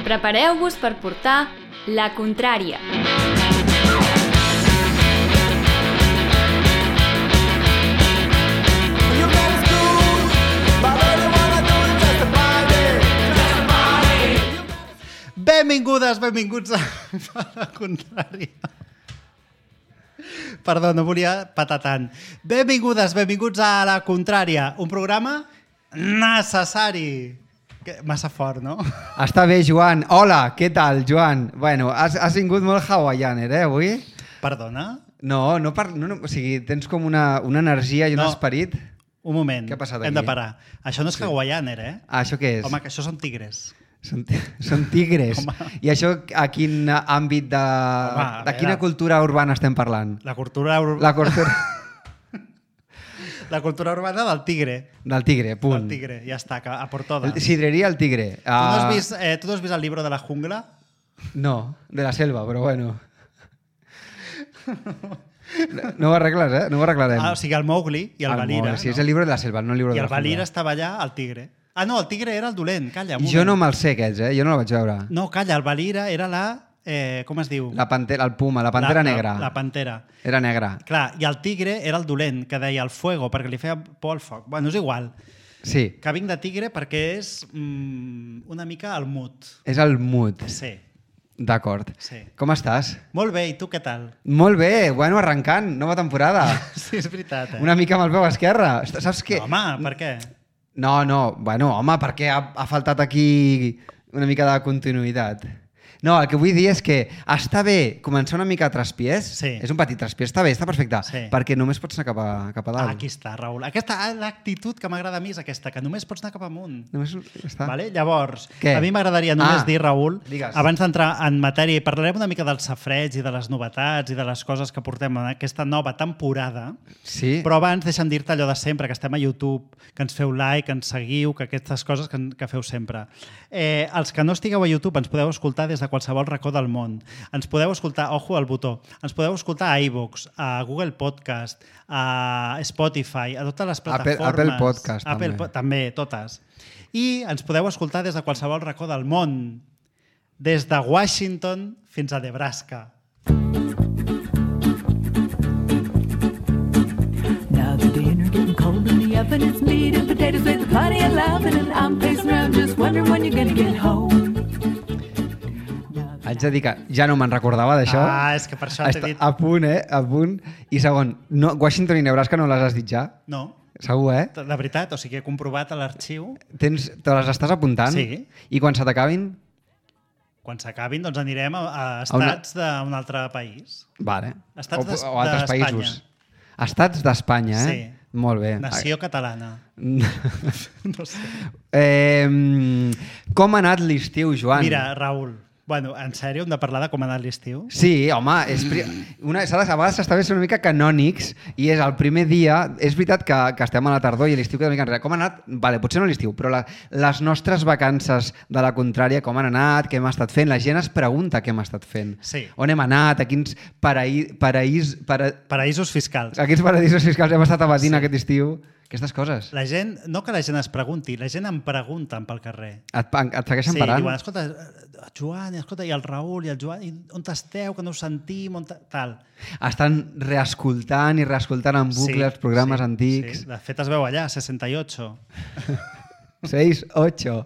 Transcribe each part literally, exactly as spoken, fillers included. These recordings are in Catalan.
Prepareu-vos per portar La Contrària. Benvingudes, benvinguts a La Contrària. Perdó, no volia patar tant. Benvingudes, benvinguts a La Contrària, un programa necessari. Massa fort, no? Està bé, Joan. Hola, què tal, Joan? Bueno, has, has vingut molt hawaianer, eh, avui? Perdona? No, no, par... no, no o sigui, tens com una, una energia i un no. esperit. Un moment, què ha passat hem aquí? de parar. Això no és sí. hawaianer, eh? Ah, això què és? Home, que això són tigres. Són, són tigres. I això a quin àmbit de... Home, de quina veure... cultura urbana estem parlant? La cultura urbana... La cultura... La cultura urbana del tigre. Del tigre, punt. Del tigre, ja està, a por todas. Sidreria el tigre. Uh... ¿Tú, no has vist, eh, ¿Tú no has vist el libro de la jungla? No, de la selva, però bueno. No ho arregles, eh? No ho arreglarem. Ah, o sigui, el Mowgli i el, el Valira. Sí, no? És el llibre de la selva, no el llibre I de la el jungla. I el Valira estava allà, el tigre. Ah, no, el tigre era el dolent, calla. Jo no me'l sé, aquests, eh? Jo no el vaig veure. No, calla, el Valira era la... Eh, com es diu? La pantera, el puma, la pantera la, negra. La, la pantera. Era negra. Clar, i el tigre era el dolent, que deia el fuego, perquè li feia por al foc. Bueno, és igual. Sí. Que vinc de tigre perquè és mm, una mica el mut. És el mut. Sí. D'acord. Sí. Com estàs? Molt bé, i tu què tal? Molt bé, bueno, arrencant, nova temporada. Sí, és veritat. Eh? Una mica amb el peu esquerre. Saps què? No, home, per què? No, no, bueno, home, perquè ha, ha faltat aquí una mica de continuïtat. No, el que vull dir és que està bé començar una mica a traspiés. Sí. És un petit traspiés, està bé, està perfecte. Sí. Perquè només pots anar cap a, cap a dalt. Ah, aquí està, Raül. Aquesta, l'actitud que m'agrada a mi és aquesta, que només pots anar cap amunt. Només està. Vale? Llavors, Què? a mi m'agradaria només ah, dir, Raül, digues. abans d'entrar en matèria, i parlarem una mica dels safreig i de les novetats i de les coses que portem en aquesta nova temporada, sí. Però abans deixa'm dir-te allò de sempre, que estem a YouTube, que ens feu like, que ens seguiu, que aquestes coses que, que feu sempre. Eh, els que no estigueu a YouTube ens podeu escoltar des de qualsevol racó del món. Ens podeu escoltar, ojo al botó, ens podeu escoltar a iVoox, a Google Podcast, a Spotify, a totes les plataformes. Apple, Apple Podcast, Apple, també. També, totes. I ens podeu escoltar des de qualsevol racó del món, des de Washington fins a Nebraska. Now the dinner getting cold in the oven, it's meat and potatoes with plenty of loving, and I'm pacing around just wondering when you're gonna get home. Haig de dir que ja no me'n recordava d'això. Ah, és que per això t'he dit... A punt, eh? A punt. I segon, no, Washington i Nebraska no les has dit ja? No. Segur, eh? De veritat, o sigui, he comprovat a l'arxiu. Tens, te les estàs apuntant? Sí. I quan se t'acabin? Quan s'acabin, doncs anirem a, a estats a una... d'un altre país. Vale. Estats o, de, o altres països. Estats d'Espanya, eh? Sí. Molt bé. Nació catalana. No sé. Eh, com ha anat l'estiu, Joan? Mira, Raül, bueno, en sèrio, hem de parlar de com ha anat l'estiu? Sí, home, és una, a vegades s'està bé ser una mica canònics i és el primer dia, és veritat que, que estem a la tardor i l'estiu queda una mica enrere. Com ha anat? Vale, potser no l'estiu, però la, les nostres vacances de La Contrària, com han anat, què hem estat fent? La gent es pregunta què hem estat fent. Sí. On hem anat? A quins paraí, paraís, para... Paraïsos fiscals. A quins paradisos fiscals hem estat abatint Sí. aquest estiu? Aquestes coses. La gent, no que la gent es pregunti, la gent em pregunten pel carrer. Et, et segueixen sí, parant? Sí, diuen, escolta, Joan, escolta, i el Raül, i el Joan, i on esteu, que no us sentim, on tal. Estan reescoltant i reescoltant en bucle sí, els programes sí, antics. Sí. De fet, es veu allà, seixanta i ocho. seis, ocho.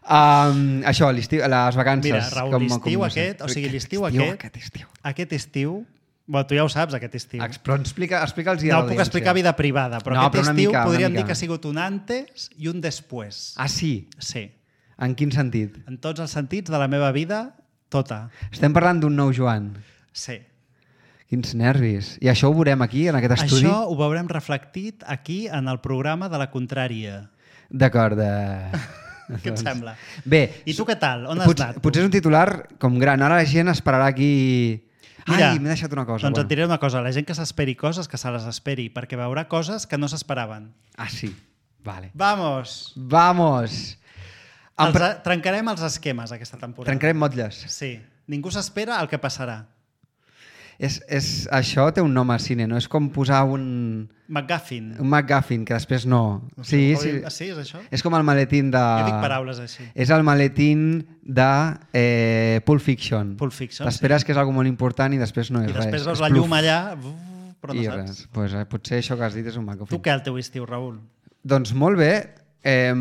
Um, això, l'estiu, les vacances. Mira, Raül, com, l'estiu com aquest, o sigui, l'estiu estiu, aquest, aquest estiu. Aquest estiu, bueno, tu ja ho saps, aquest estiu. Però explica, explica'ls ja no a l'audiència. puc explicar vida privada, però no, aquest però estiu mica, podríem mica. dir que ha sigut un antes i un després. Ah, sí? Sí. En quin sentit? En tots els sentits de la meva vida, tota. Estem parlant d'un nou Joan. Sí. Quins nervis. I això ho veurem aquí, en aquest estudi? Això ho veurem reflectit aquí en el programa de La Contrària. D'acord. Eh... Què et sembla? Bé. I tu què tal? On has pot, anat? Tu? Potser és un titular com gran. Ara la gent esperarà aquí... Mira, ai, m'he deixat una cosa. Doncs bueno. et diré una cosa. La gent que s'esperi coses, que se les esperi, perquè veurà coses que no s'esperaven. Ah, sí. Vale. Vamos! Vamos! Els, pre... Trencarem els esquemes aquesta temporada. Trencarem motlles. Sí. Ningú s'espera el que passarà. És, és, això té un nom al cine, no? És com posar un... McGuffin. Un McGuffin, que després no. No sé, Sí, com- sí. Ah, sí, és això? És com el maletín de... Jo dic paraules així. És el maletín de eh, Pulp Fiction. Pulp Fiction, T'esperes que és algo molt important i després no és I res. després veus És la pluf. llum allà, uf, però no I saps. res. Pues, eh, potser això que has dit és un McGuffin. Tu què el teu estiu, Raül? Doncs molt bé. Eh,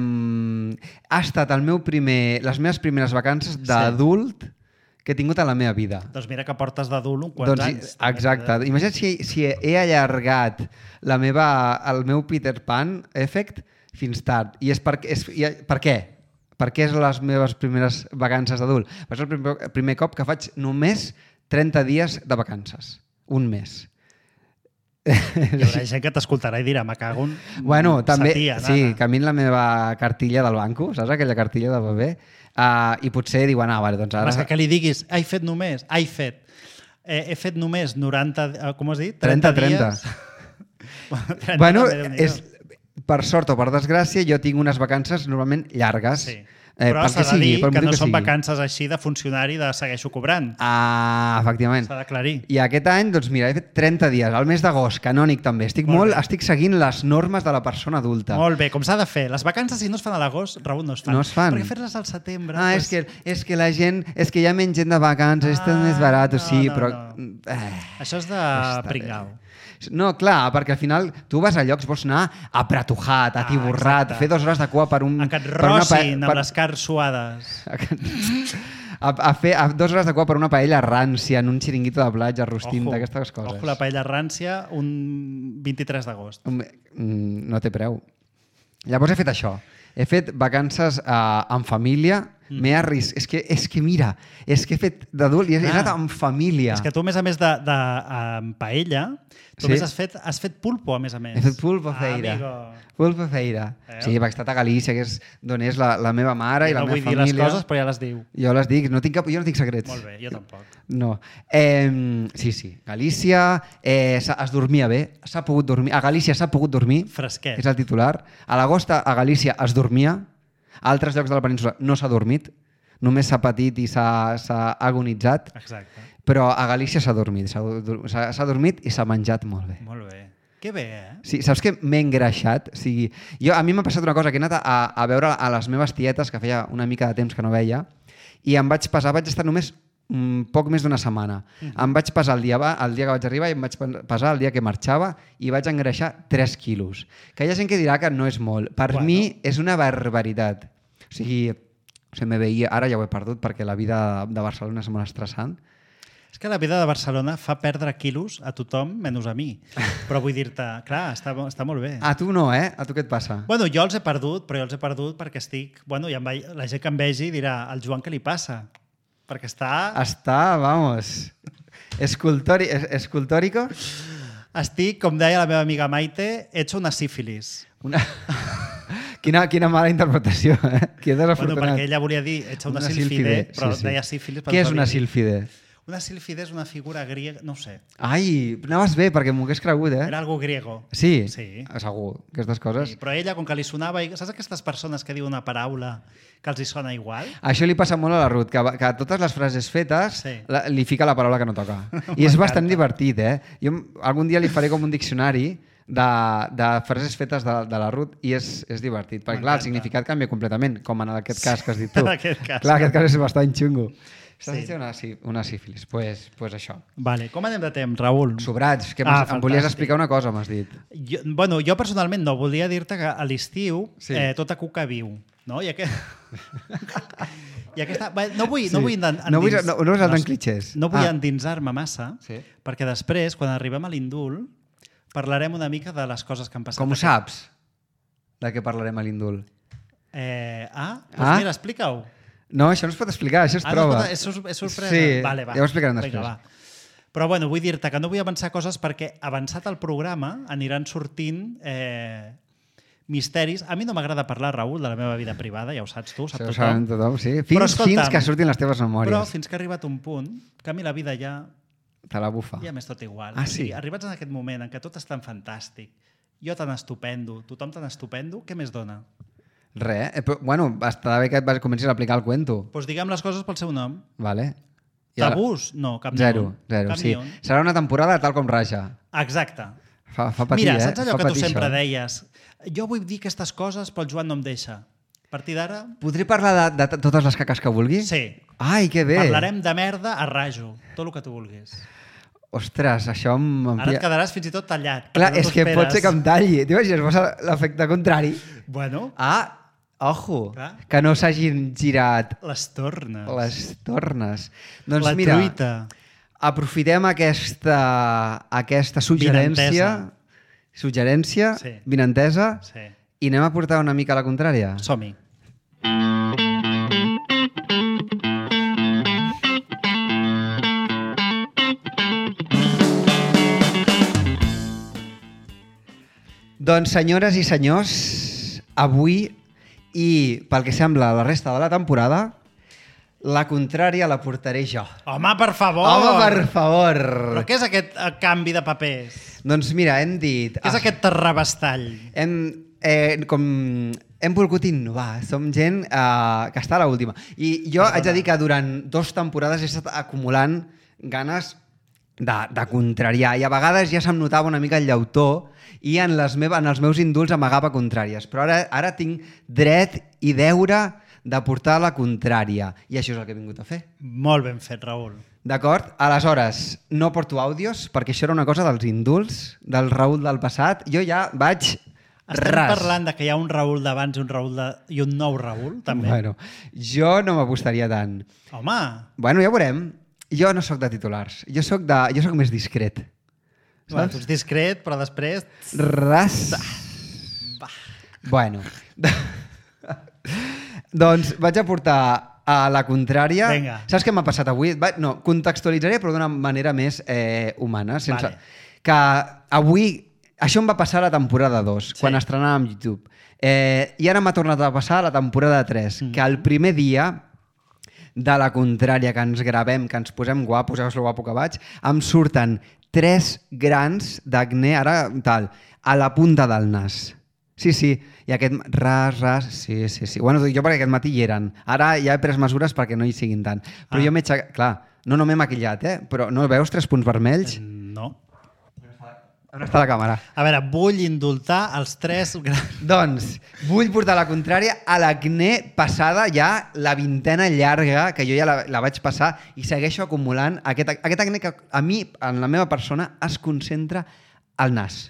ha estat el meu primer, les meves primeres vacances d'adult que he tingut a la meva vida. Doncs mira que portes d'adult uns quants Doncs, anys. exacte. Imagina't si, si he allargat la meva, el meu Peter Pan effect fins tard. I és per, és, i, per què? Per què és les meves primeres vacances d'adult? És el primer, el primer cop que faig només trenta dies de vacances. Un mes. Hi haurà gent que t'escoltarà i dirà, me cago en... Bueno, també, Satia, sí, nana. que a mi la meva cartilla del banco, saps aquella cartilla de bebè? Uh, I potser diuen, ah, vale, doncs ara... Ara... És que, que li diguis, he fet només, he fet. Eh, he fet només noranta... eh, Com has dit? trenta, trenta trenta. dies. trenta, Bueno, també, Déu-n'hi-do. és, per sort o per desgràcia, jo tinc unes vacances normalment llargues. Sí. Eh, Però pel s'ha de sigui, dir pel que motiu no són sigui. vacances així de funcionari de segueixo cobrant. Ah, efectivament. S'ha d'aclarir. I aquest any, doncs mira, he fet trenta dies, al mes d'agost, canònic també. Estic Molt molt, bé. estic seguint les normes de la persona adulta. Molt bé, com s'ha de fer. Les vacances, si no es fan a l'agost, Raül, no es fan. No es fan. Perquè fer-les al setembre... Ah, pues... és, que, és que la gent, és que hi ha menys gent de vacances, ah, és més barat, no, sí, no, però... no. Eh, Això és de està bé. pringau. No, clar, perquè al final tu vas a llocs, vols anar apretujat, atiborrat, exacte. fer dues hores de cua per un... A que et per una pa- rossin amb les cars suades. a, a fer a dues hores de cua per una paella rància en un xiringuito de platja, rostint, Ojo, d'aquestes coses. Ojo, la paella rància un vint-i-tres d'agost. Um, mm, No té preu. Llavors he fet això. He fet vacances uh, en família, mm. m'he arris... És que, és que mira, és que he fet d'adult i he, he Ah. anat en família. És que tu, a més a més de, de um, paella, tu Sí. més has fet, has fet pulpo, a més a més. He fet pulpo feira. Ah, amigo. Pulpo feira. Eh? Sí, perquè he estat a Galícia, que és d'on és la, la meva mare i, I la no meva vull dir família. les coses, però ja les diu. Jo les dic, no tinc cap, jo no tinc secrets. Molt bé, jo tampoc. No. Eh, sí, sí. Galícia, eh, s'ha- es dormia bé, s'ha pogut dormir. A Galícia s'ha pogut dormir, Fresquet. és el titular. A l'agost a Galícia es dormia, a altres llocs de la península no s'ha dormit, només s'ha patit i s'ha s'ha agonitzat, Exacte. però a Galícia s'ha dormit, s'ha dur- s'ha s'ha dormit i s'ha menjat molt bé. Molt bé. Que bé, eh? Sí, saps que m'he engreixat? O sigui, jo, a mi m'ha passat una cosa, que he anat a, a veure a les meves tietes, que feia una mica de temps que no veia, i em vaig pesar, vaig estar només mm, poc més d'una setmana. Mm -hmm. Em vaig pesar el dia, va- el dia que vaig arribar i em vaig pesar el dia que marxava i vaig engreixar tres quilos. Que hi ha gent que dirà que no és molt. Per Bueno. mi és una barbaritat. O sigui, se me veia, ara ja ho he perdut perquè la vida de Barcelona és molt estressant. És que la vida de Barcelona fa perdre quilos a tothom, menys a mi. Però vull dir-te, clar, està, està molt bé. A tu no, eh? A tu què et passa? Bueno, jo els he perdut, però jo els he perdut perquè estic... Bueno, i em ve... la gent que em vegi dirà, al Joan què li passa? Perquè està... Està, vamos, escultori, es- escultórico. Estic, com deia la meva amiga Maite, hecho una sífilis. Una... quina, quina mala interpretació, eh? Que Bueno, desafortunat. perquè ella volia dir hecha una, Una sílfide, sílfide, però sí, sí. deia sífilis. per Què és no una dir- sílfide? Una sílfide és una figura griega, no ho sé, Ai, anaves bé, perquè m'ho hagués cregut, eh? era algo griego. Sí, Sí. segur, aquestes coses. Sí, però ella, com que li sonava... Saps aquestes persones que diuen una paraula que els hi sona igual? Això li passa molt a la Ruth, que, que a totes les frases fetes Sí. la, li fica la paraula que no toca. I és bastant divertit, eh? Jo algun dia li faré com un diccionari de, de frases fetes de, de la Ruth i és, és divertit. Perquè, clar, el M'encanta. significat canvia completament, com en aquest cas que has dit tu. En aquest cas. Clar, aquest cas és bastant xungo. Estàs Sí. dient una, sí, una sífilis. Pues, pues això. Vale, com anem de temps, Raül? Sobrats, que Ah, ah, em volies fantàstic. explicar una cosa, m'has dit. Jo, bueno, jo personalment no, volia dir-te que a l'estiu Sí. sí. eh, tota cuca viu, no? I, aquest... I aquesta... Bé, no vull, no Sí. vull endins... No vull- no- no vull saltar en clichés. No vull Ah. endinsar-me massa, Sí. perquè després, quan arribem a l'indult, parlarem una mica de les coses que han passat. Com ho aquest- saps? De què parlarem a l'indult? Eh, ah, doncs Ah? mira, explica-ho. No, això no es pot explicar, això es Ah, no, troba. escolta, és, sor- és sorpresa. Sí, vale, va. ja ho explicarem després. Vinga, va. Però bueno, vull dir-te que no vull avançar coses perquè avançat el programa aniran sortint eh, misteris. A mi no m'agrada parlar, Raül, de la meva vida privada, ja ho saps tu, sap Això ho tothom. sabem tothom, sí. Però Fins, escolta'm, fins que surtin les teves Però memòries. fins que ha arribat un punt que a mi la vida ja, Te la bufa. ja m'és tot igual. Ah, O sigui, sí? arribats en aquest moment en què tot és tan fantàstic, jo tan estupendo, tothom tan estupendo, què més dona? Res, eh? Però, bueno, està bé que et vas- comencis a aplicar el cuento. Doncs diguem les coses pel seu nom. Vale. Tabús? No, cap ni Zero, un. zero, Cap sí. ni un. Serà una temporada tal com raja. Exacte. Fa, fa patir, Mira, eh? saps allò fa que tu patir, sempre això. deies? Jo vull dir aquestes coses, però el Joan no em deixa. A partir d'ara, Podré parlar de, de totes les caques que vulgui? sí. Ai, que bé. Parlarem de merda a rajo, tot el que tu vulguis. Ostres, això em... Ara et quedaràs fins i tot tallat. Clar, perquè no és t'ho que pot esperes. ser que em talli. T'imagines, posa l'efecte contrari. Bueno, Ah, ojo, Clar. que no s'hagin girat les tornes. les tornes. Doncs La mira, truita. aprofitem aquesta, aquesta suggerència, suggerència, Sí. vinentesa, Sí. i anem a portar una mica a la contrària. Som-hi. Doncs, senyores i senyors, avui, i pel que sembla la resta de la temporada, la contrària la portaré jo. Home, per favor! Home, per favor! Però què és aquest eh, canvi de papers? Doncs mira, hem dit... Què és ah, aquest terrabastall? Hem, eh, com, hem volgut innovar. Som gent eh, que està a l'última. I jo Perdona. haig de dir que durant dues temporades he estat acumulant ganes de, de contrariar. I a vegades ja se'm notava una mica el llautó i en, les meva, en els meus indults amagava contràries. Però ara, ara tinc dret i deure de portar la contrària. I això és el que he vingut a fer. Molt ben fet, Raül. D'acord? Aleshores, no porto àudios, perquè això era una cosa dels indults, del Raül del passat. Jo ja vaig Estem ras. parlant de que hi ha un Raül d'abans i un Raül de... i un nou Raül, també. Bueno, jo no m'apostaria tant. Home, Bueno, ja veurem. Jo no sóc de titulars. Jo sóc, de, jo sóc més discret. bueno, tu ets discret, però després... Ras. Bueno. Doncs vaig a portar a la contrària. Vinga. Saps què m'ha passat avui? Va, no, contextualitzaré, però d'una manera més eh, humana. Sense... Vale. Que avui... Això em va passar a la temporada dos, Sí. quan estrenàvem YouTube. Eh, I ara m'ha tornat a passar a la temporada tres, mm. que el primer dia de la contrària que ens gravem, que ens posem guapos, veus lo guapo que vaig, em surten tres grans d'acné, ara tal, a la punta del nas. Sí, sí, i aquest ras, ras, sí, sí, sí. Bueno, jo perquè aquest matí hi eren. Ara ja he pres mesures perquè no hi siguin tant. Però Ah. jo m'he aixecat... Clar, no, no m'he maquillat, eh? Però no veus tres punts vermells? No. On està la càmera? A veure, vull indultar els tres grans... Doncs vull portar la contrària a l'acné passada ja la vintena llarga, que jo ja la, la vaig passar i segueixo acumulant aquest, aquest acné que a mi, en la meva persona, es concentra al nas.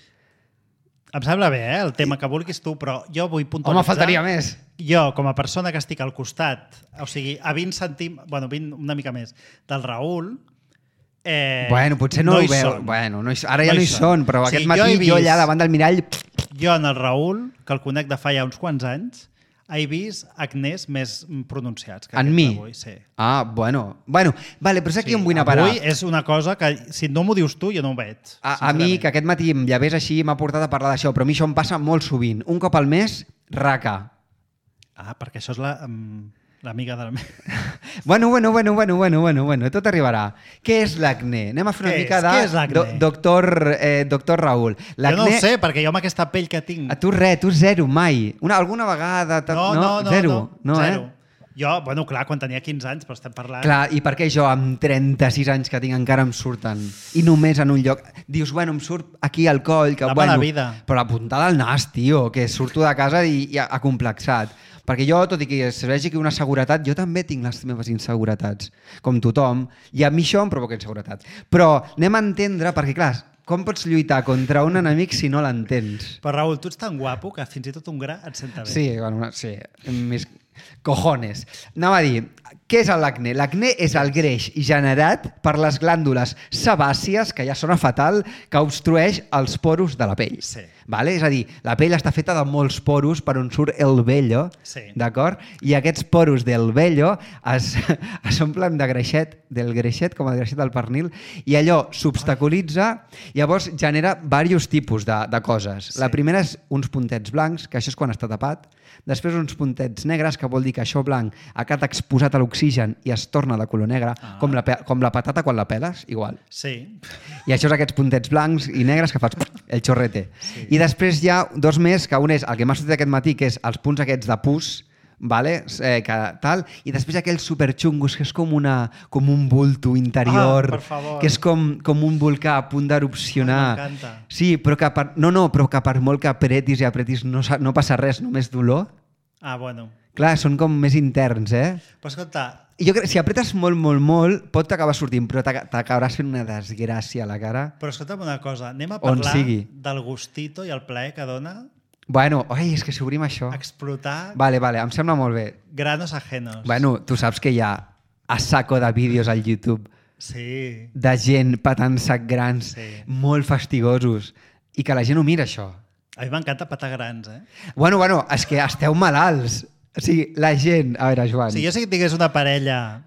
Em sembla bé, eh, el tema que vulguis tu, però jo vull puntualitzar... Home, faltaria més. Jo, com a persona que estic al costat, o sigui, a vint centímetres, bueno, vint, una mica més, del Raül... Eh, Bueno, potser no, hi ho veu. són. Bueno, no hi, ara ja no, No hi hi són, són. però O aquest sigui, matí jo he jo, vist- allà davant del mirall... Jo en el Raül, que el conec de fa ja uns quants anys, he vist acnés més pronunciats. Que En aquest mi? d'avui, sí. Ah, bueno. Bueno, vale, però és aquí Sí, on vull anar a parar. Avui és una cosa que, si no m'ho dius tu, jo no ho veig. A, a mi, sincerament. que aquest matí em llevés així, m'ha portat a parlar d'això, però a mi això em passa molt sovint. Un cop al mes, raca. Ah, perquè això és la, um, l'amiga del... Bueno, bueno, bueno, bueno, bueno, bueno, bueno, tot arribarà. Què és l'acné? Anem a fer una Què mica és? de Què és l'acné? do, doctor, eh, doctor Raül. Jo no ho sé, perquè jo amb aquesta pell que tinc... A tu res, tu zero, mai. Una, alguna vegada... ta- No, no, no. Zero, no, no, zero. eh? Jo, bueno, clar, quan tenia quinze anys, però estem parlant... Clar, i per què jo amb trenta-sis anys que tinc encara em surten? I només en un lloc... Dius, bueno, em surt aquí al coll, que La bueno... mala vida. Però la puntada al nas, tio, que surto de casa i, i acomplexat. Perquè jo, tot i que es vegi que una seguretat, jo també tinc les meves inseguretats, com tothom, i a mi això em provoca inseguretat. Però anem a entendre, perquè clar, com pots lluitar contra un enemic si no l'entens? Però Raül, tu ets tan guapo que fins i tot un gra et senta bé. Sí, bueno, sí, mis cojones. Anava a dir, què és l'acné? L'acné és el greix generat per les glàndules sebàcies, que ja sona fatal, que obstrueix els poros de la pell. Sí. Vale? És a dir, la pell està feta de molts poros per on surt el vello, Sí. d'acord? I aquests poros del vello es, es omplen de greixet, del greixet, com el greixet del pernil, i allò s'obstaculitza, llavors genera diversos tipus de, de coses. Sí. La primera és uns puntets blancs, que això és quan està tapat, després uns puntets negres, que vol dir que això blanc ha quedat exposat a l'oxigen i es torna de color negre, Ah. com, la, pe- com la patata quan la peles, igual. Sí. I això és aquests puntets blancs i negres que fas el xorrete. Sí. I després hi ha dos més, que un és el que m'ha sortit aquest matí, que és els punts aquests de pus, vale? eh, que tal, i després aquells superxungos que és com, una, com un bulto interior, Ah, per favor. que és com, com un volcà a punt d'erupcionar. Ai, m'encanta. Sí, però que per, no, no, però que per molt que apretis i apretis no, sa- no passa res, només dolor. Ah, bueno. Clar, són com més interns, eh? Però escolta, I jo crec que si apretes molt, molt, molt, pot acabar sortint, però t'ac- t'acabaràs fent una desgràcia a la cara. però escolta'm una cosa, anem a On parlar sigui. del gustito i el plaer que dona Bueno, ai, és que si obrim això... explotar Vale, vale, em sembla molt bé. granos ajenos. Bueno, tu saps que hi ha a saco de vídeos al YouTube Sí. de gent patant sac grans, Sí. molt fastigosos, i que la gent ho mira, això. A mi m'encanta patar grans, eh? Bueno, bueno, és que esteu malalts. O sigui, la gent... A veure, Joan... Si jo sé que tingués una parella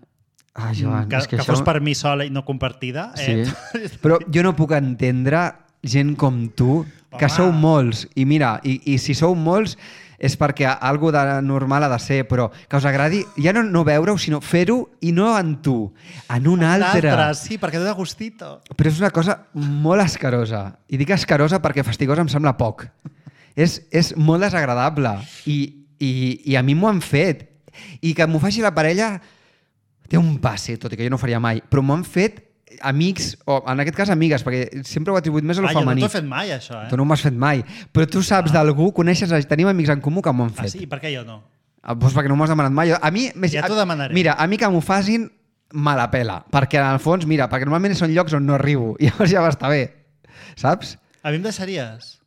Ah, Joan, que, és que, que això... fos per mi sola i no compartida, Sí. eh? Però jo no puc entendre gent com tu, que Home. sou molts, i mira, i, i si sou molts és perquè algo de normal ha de ser, però que us agradi ja no, no veure-ho, sinó fer-ho, i no en tu, en un altre. L'altre, sí, perquè dona gustito. Però és una cosa molt escarosa. I dic escarosa perquè fastigosa em sembla poc. És, és molt desagradable. I, i, i a mi m'ho han fet. I que m'ho faci la parella té un passe, tot i que jo no ho faria mai. Però m'ho han fet amics, o en aquest cas amigues, perquè sempre ho he atribuït més a lo Ah, jo no femení. t'ho he fet mai, això, eh? Tu no m'ho has fet mai. Però tu saps d'algú, coneixes, tenim amics en comú que m'ho han Ah, fet. sí? Per què jo no? Ah, doncs perquè no m'ho has demanat mai. A mi, més, Ja t'ho demanaré. Mira, a mi que m'ho facin, me la pela. Perquè en el fons, mira, perquè normalment són llocs on no arribo. I llavors ja va estar bé. Saps? A mi em deixaries?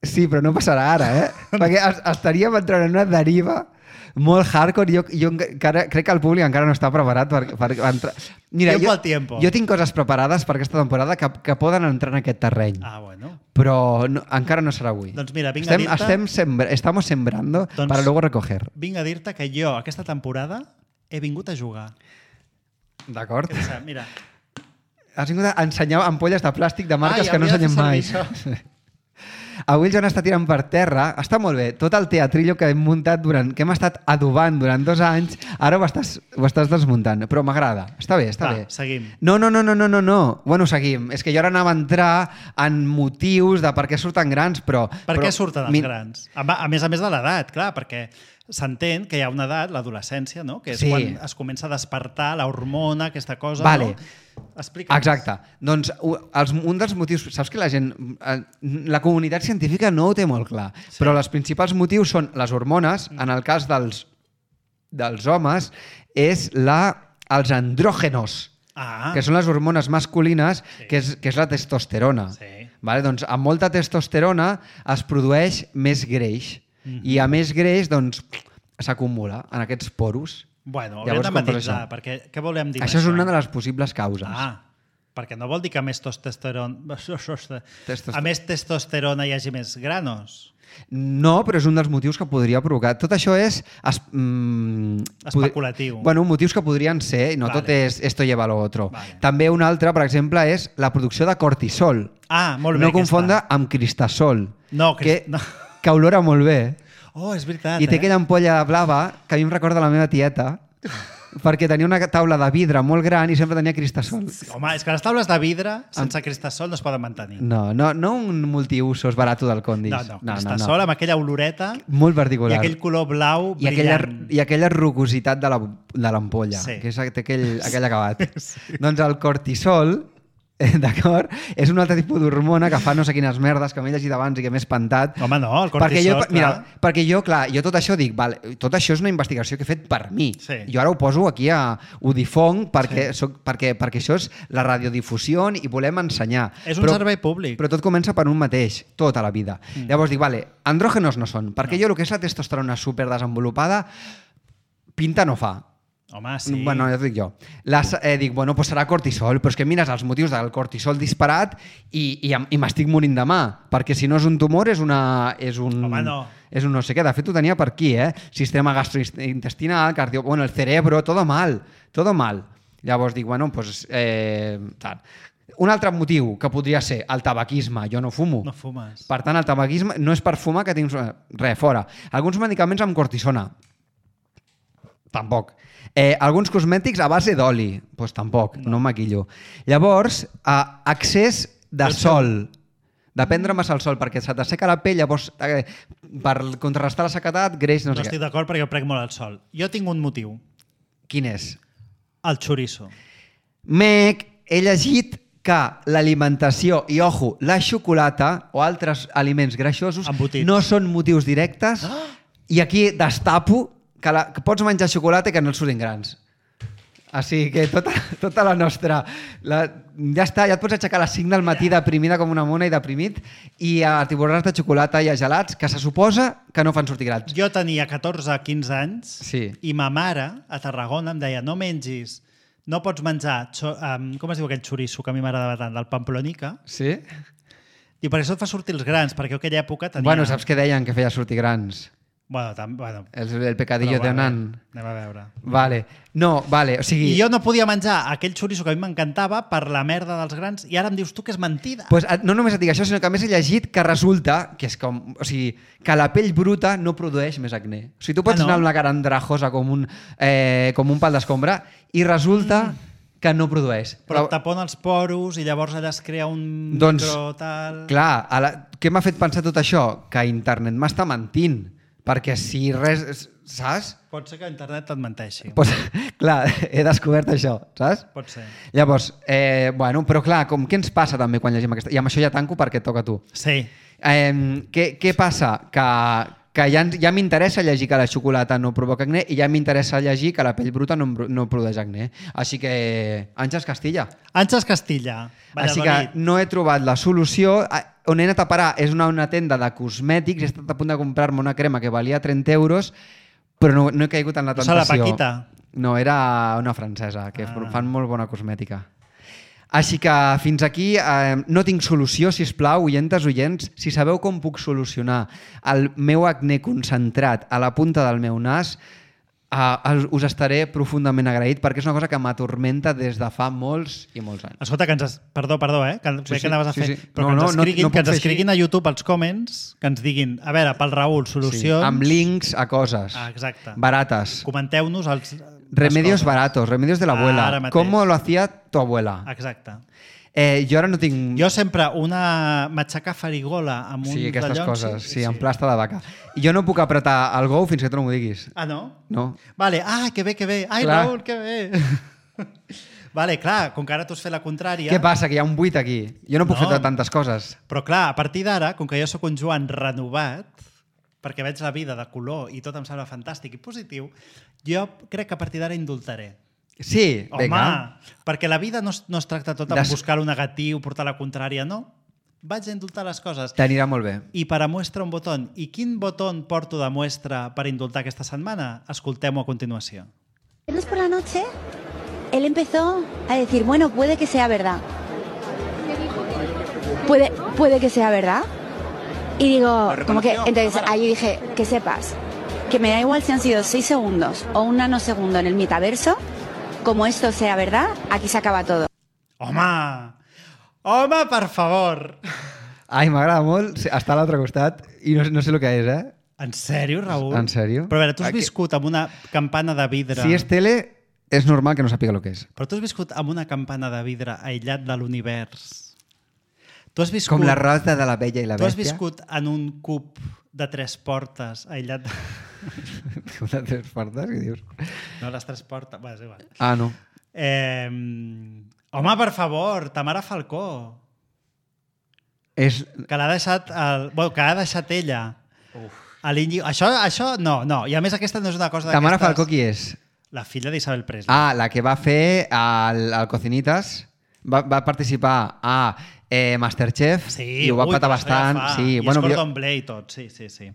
Sí, però no passarà ara, eh? Perquè es- estaríem entrant en una deriva molt hardcore. Jo, jo encara, crec que el públic encara no està preparat per, per entrar... Mira, Tiempo jo, al tiempo. jo tinc coses preparades per aquesta temporada que, que poden entrar en aquest terreny. Ah, bueno. Però no, encara no serà avui. Doncs mira, vinc a estem, dir-te- estem sembra, estamos sembrando Doncs- para luego recoger. Vinc a dir-te que jo, aquesta temporada, he vingut a jugar. D'acord? Què passa? Mira, Has vingut a ensenyar ampolles de plàstic de marques Ai, que no havia de ensenyem fer mai. servir Avui el Joan està tirant per terra. Està molt bé. Tot el teatrillo que hem muntat durant, que hem estat adobant durant dos anys, ara ho estàs, ho estàs desmuntant. Però m'agrada. Està bé, està va, bé. seguim. No, no, no, no, no, no, no. Bueno, seguim. És que jo ara anava a entrar en motius de per què surten grans, però... Per però, què surten els mi- grans? A, a més a més de l'edat, clar, perquè s'entén que hi ha una edat, l'adolescència, no? Que és Sí. quan es comença a despertar la hormona, aquesta cosa, Vale. no? Explica. Exacte. Doncs u- els, un dels motius... Saps que la gent... eh, La comunitat científica no ho té molt clar, sí. Però els principals motius són les hormones, en el cas dels, dels homes, és la, els andrògenos, Ah, que són les hormones masculines, Sí. que, és, que és la testosterona. Sí. Vale? Doncs amb molta testosterona es produeix més greix. I a més greix, doncs, s'acumula en aquests poros. bueno, haurem Llavors, de com per matisar, això? perquè què volem dir amb Això és una de les possibles causes. Ah, perquè no vol dir que a més testosterona, Testosterona. a més testosterona hi hagi més granos. No, però és un dels motius que podria provocar. Tot això és... Es, mm, Especulatiu. Podri... Bueno, motius que podrien ser, i no Vale. tot és esto lleva lo otro. Vale. També un altre, per exemple, és la producció de cortisol. Ah, molt bé, No confondre aquesta. amb cristasol, No, que, cris- no. que olora molt bé. Oh, és veritat, I té eh? aquella ampolla blava que a mi em recorda la meva tieta, perquè tenia una taula de vidre molt gran i sempre tenia cristasol. Home, és que les taules de vidre sense cristasol no es poden mantenir. No, no, no un multiusos barato del Condis. No, no, cristasol amb aquella oloreta Molt i particular. aquell color blau I aquella, brillant. I aquella rugositat de la- de l'ampolla, Sí. que és, té aquell, aquell acabat. Sí. Doncs el cortisol, eh, d'acord, és un altre tipus d'hormona que fa no sé quines merdes que m'he llegit abans i que m'he espantat. Home, no, el perquè jo, cortisol, mira, clar. perquè jo, clar, jo tot això dic, vale, tot això és una investigació que he fet per mi. Sí. Jo ara ho poso aquí a ho difonc perquè, sí. soc, perquè, perquè això és la radiodifusió i volem ensenyar. És un servei públic. Però tot comença per un mateix, tota la vida. Mm. Llavors dic, vale, andrògenos no són, perquè no. jo el que és la testosterona superdesenvolupada pinta no fa. Home, sí. Bueno, ja t'ho dic jo. Les, eh, dic, bueno, pues serà cortisol, però és que mires els motius del cortisol disparat i, i, em- i m'estic morint de mà, perquè si no és un tumor és una... És un, Home, no. És un no sé què. De fet, ho tenia per aquí, eh? Sistema gastrointestinal, cardio... Bueno, el cerebro, todo mal, todo mal. Llavors dic, bueno, pues... Eh, tal. Un altre motiu que podria ser el tabaquisme. Jo no fumo. No fumes. Per tant, el tabaquisme no és per fumar que tinc... Res, fora. Alguns medicaments amb cortisona. Tampoc. Eh, alguns cosmètics a base d'oli. Doncs pues tampoc, no, no maquillo. Llavors, eh, accés de Jo sol. De prendre massa el sol, perquè se t'asseca la pell, llavors, eh, per contrarrestar la sequedat, greix, no No sé estic què. d'acord perquè jo prenc molt el sol. Jo tinc un motiu. Quin és? El xoriço. Mec, he llegit que l'alimentació, i ojo, la xocolata o altres aliments greixosos Embotits. no són motius directes i aquí destapo que, la, que pots menjar xocolata i que no et surtin grans. Així que tota, tota la nostra... La, ja està, ja et pots aixecar a les cinc del matí deprimida com una mona i deprimit i a tiborrars de xocolata i a gelats que se suposa que no fan sortir grans. Jo tenia catorze a quinze anys Sí. i ma mare a Tarragona em deia no mengis, no pots menjar, xo, um, com es diu aquell xoriço que a mi m'agradava tant, del Pamplonica? Sí? I per això et fa sortir els grans, perquè en aquella època tenia... Bueno, saps què deien que feia sortir grans? Bueno, tam... bueno El, el pecadillo però de bueno, nan. anem a veure. Vale. No, vale, o sigui... I jo no podia menjar aquell xoriço que a mi m'encantava per la merda dels grans i ara em dius tu que és mentida. Pues, no només et dic això, sinó que a més he llegit que resulta que és com, o sigui, que la pell bruta no produeix més acné. O sigui, tu pots Ah, no? anar amb la cara andrajosa com un, eh, com un pal d'escombra i resulta mm. que no produeix. Però et tapona els poros i llavors allà es crea un Doncs, micro tal... Clar, a la, què m'ha fet pensar tot això? Que internet m'està mentint. Perquè si res... Saps? Pot ser que internet et menteixi. Pues, clar, he descobert això, saps? Pot ser. Llavors, eh, bueno, però clar, com, què ens passa també quan llegim aquesta... I amb això ja tanco perquè et toca a tu. Sí. Eh, què, què passa? Que, que ja, ja m'interessa llegir que la xocolata no provoca acné i ja m'interessa llegir que la pell bruta no, no produeix acné. Així que, Àngels Castilla. Àngels Castilla, Així Valladolid. que no he trobat la solució. On he anat a parar és una, una tenda de cosmètics. He estat a punt de comprar-me una crema que valia trenta euros, però no, no he caigut en la No serà la tentació. Paquita? No, era una francesa, que Ah. fan molt bona cosmètica. Així que fins aquí eh, no tinc solució, si us plau, oientes, oients. Si sabeu com puc solucionar el meu acné concentrat a la punta del meu nas, eh, us estaré profundament agraït perquè és una cosa que m'atormenta des de fa molts i molts anys. Escolta, que ens... Es... Perdó, perdó, eh? Que, Sí, sí, sí, que anaves a sí, fer. sí. Però No, que no, ens no- escriguin, no puc que ens fer així. escriguin a YouTube als comments, que ens diguin, a veure, pel Raül, solucions... Sí, amb links a coses Ah, exacte. barates. Comenteu-nos els... Remedios les coses. baratos, remedios de la Ara abuela. mateix. ¿Cómo lo hacía tu abuela? Exacte. Eh, jo ara no tinc... Jo sempre una matxaca farigola amb un Sí, aquestes dallons, coses, sí, en plasta de vaca. I jo no puc apretar el go fins que tu no m'ho diguis. Ah, no? No. Vale, ah, que bé, que bé. Ai, Clar. Raül, que bé. Vale, clar, com que ara tu has fet la contrària... Què passa? Que hi ha un buit aquí. Jo no puc No. fer tantes coses. Però clar, a partir d'ara, com que jo sóc un Joan renovat, perquè veig la vida de color i tot em sembla fantàstic i positiu, jo crec que a partir d'ara indultaré. Sí, Home, vinga. perquè la vida no es, no es tracta tot amb Des- buscar el negatiu, portar la contrària, no. Vaig a indultar les coses. T'anirà molt bé. I per a muestra un botó. I quin botó porto de muestra per indultar aquesta setmana? Escoltem-ho a continuació. Viernes por la noche, él empezó a decir, bueno, puede que sea verdad. Puede, puede que sea verdad. Y digo, como que, entonces ahí dije, que sepas, que me da igual si han sido seis segundos o un nanosegundo en el metaverso, como esto sea verdad, aquí se acaba todo. Home! Home, per favor! Ai, m'agrada molt estar a l'altre costat i no, no sé el que és, eh? En sèrio, Raül? En sèrio? Però a veure, tu has Aquí- viscut amb una campana de vidre... Si és tele, és normal que no sàpiga el que és. Però tu has viscut amb una campana de vidre aïllat de l'univers. Tu has viscut... Com la rosa de la Bella i la Tu has Bèstia. viscut en un cub de tres portes aïllat... De... Com de tres portes, què dius? No, les tres portes... Bé, és igual. Ah, no. Eh... Home, per favor, Tamara Falcó, És... que l'ha deixat... El... Bueno, que l'ha deixat ella. A l'Íñigo. Això, això no, no. I a més aquesta no és una cosa d'aquestes... Tamara Falcó qui és? La filla d'Isabel Presley. Ah, la que va fer al, al Cocinitas. Va, va participar a eh, Masterchef Sí, i ho va ui, patar però això ja bastant. fa. Sí, I bueno, és jo- cordon bleu i tot, sí, sí, sí.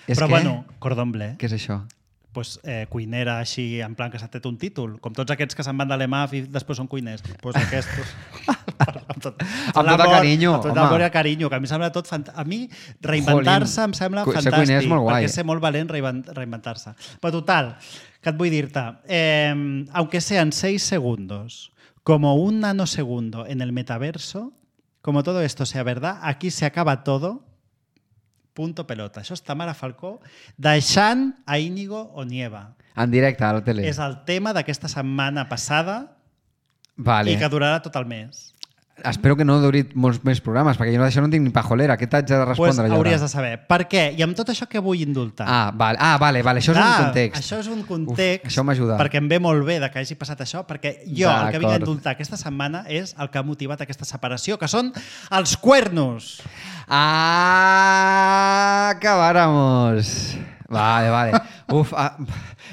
És Però que... bueno, cordon bleu, Què és això? pues, eh, cuinera així, en plan que s'ha tret un títol, com tots aquests que se'n van de l'E M A F i després són cuiners. Pues aquests... amb tot, Amb tot el l'amor, carinyo, amb tot home. l'amor i el carinyo, que a mi em sembla tot fant... A mi reinventar-se em sembla Cu- ser fantàstic, cuiner és molt guai. perquè és ser molt valent reinvent- reinventar-se. Però total, què et vull dir-te? Eh, aunque sean seis segundos, como un nanosegundo en el metaverso, como todo esto sea verdad, aquí se acaba todo, punto pelota. Això és Tamara Falcó deixant a Íñigo Onieva. En directe, a la tele. És el tema d'aquesta setmana passada Vale. i que durarà tot el mes. Espero que no duri molts més programes, perquè jo no, d'això no tinc ni pajolera. Què t'haig de respondre? Pues jo hauries ara? de saber. Per què? I amb tot això que vull indultar? Ah, vale, ah, vale, vale. això és Clar, un context. Això és un context. Uf, això m'ajuda. Perquè em ve molt bé de que hagi passat això, perquè jo el que vinc a D'acord. indultar aquesta setmana és el que ha motivat aquesta separació, que són els cuernos. Ah, acabáramos. Vale, vale. Uf, ah,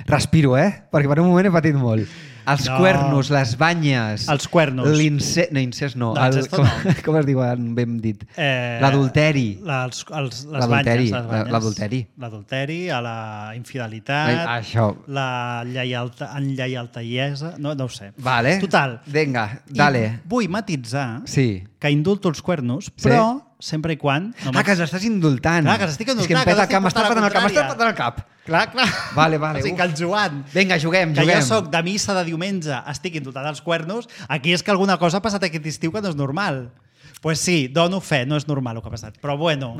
respiro, eh? Perquè per un moment he patit molt. Els No. cuernos, les banyes... Els cuernos. L'incest... No, incest no. No, incest com, no. com es diu, ben dit? Eh, L'adulteri. la- Els, els, les L'adulteri, banyes, les banyes. l'adulteri. L'adulteri, a la infidelitat, Ai, això. la lleialta, enlleialtaiesa... No, no ho sé. Vale. Total. Vinga, dale. I vull matitzar Sí. que indulto els cuernos, però sempre i quan... No Ah, que l'estàs indultant. Clar, que l'estic És que em indultant, peta que el cap, l'estic m'està portant patant el cap, la m'està contrària. patant el cap. Clar, clar. Vale, vale, O sigui, uf. que el Joan, Vinga, juguem, que juguem. jo soc de missa de diumenge, estic indultant els cuernos, aquí és que alguna cosa ha passat aquest estiu que no és normal. Doncs pues sí, dono fe, no és normal el que ha passat. Però bueno,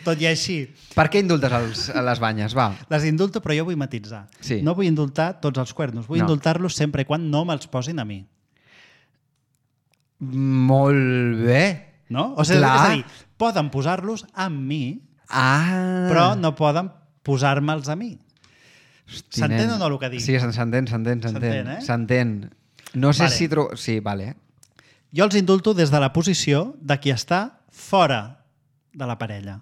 tot i així, Per què indultes els, les banyes? Va. les indulto, però jo vull matitzar. Sí. No vull indultar tots els cuernos, vull No. indultar-los sempre i quan no me'ls posin a mi. Molt bé. No? O sigui, Clar. és a dir, poden posar-los amb mi, Ah. però no poden posar-me'ls a mi. Hosti, S'entén nen. o no el que dic? Sí, s'entén, s'entén, s'entén. S'entén, eh? S'entén. No sé Vale. si... Tro... Sí, vale. Jo els indulto des de la posició de qui està fora de la parella,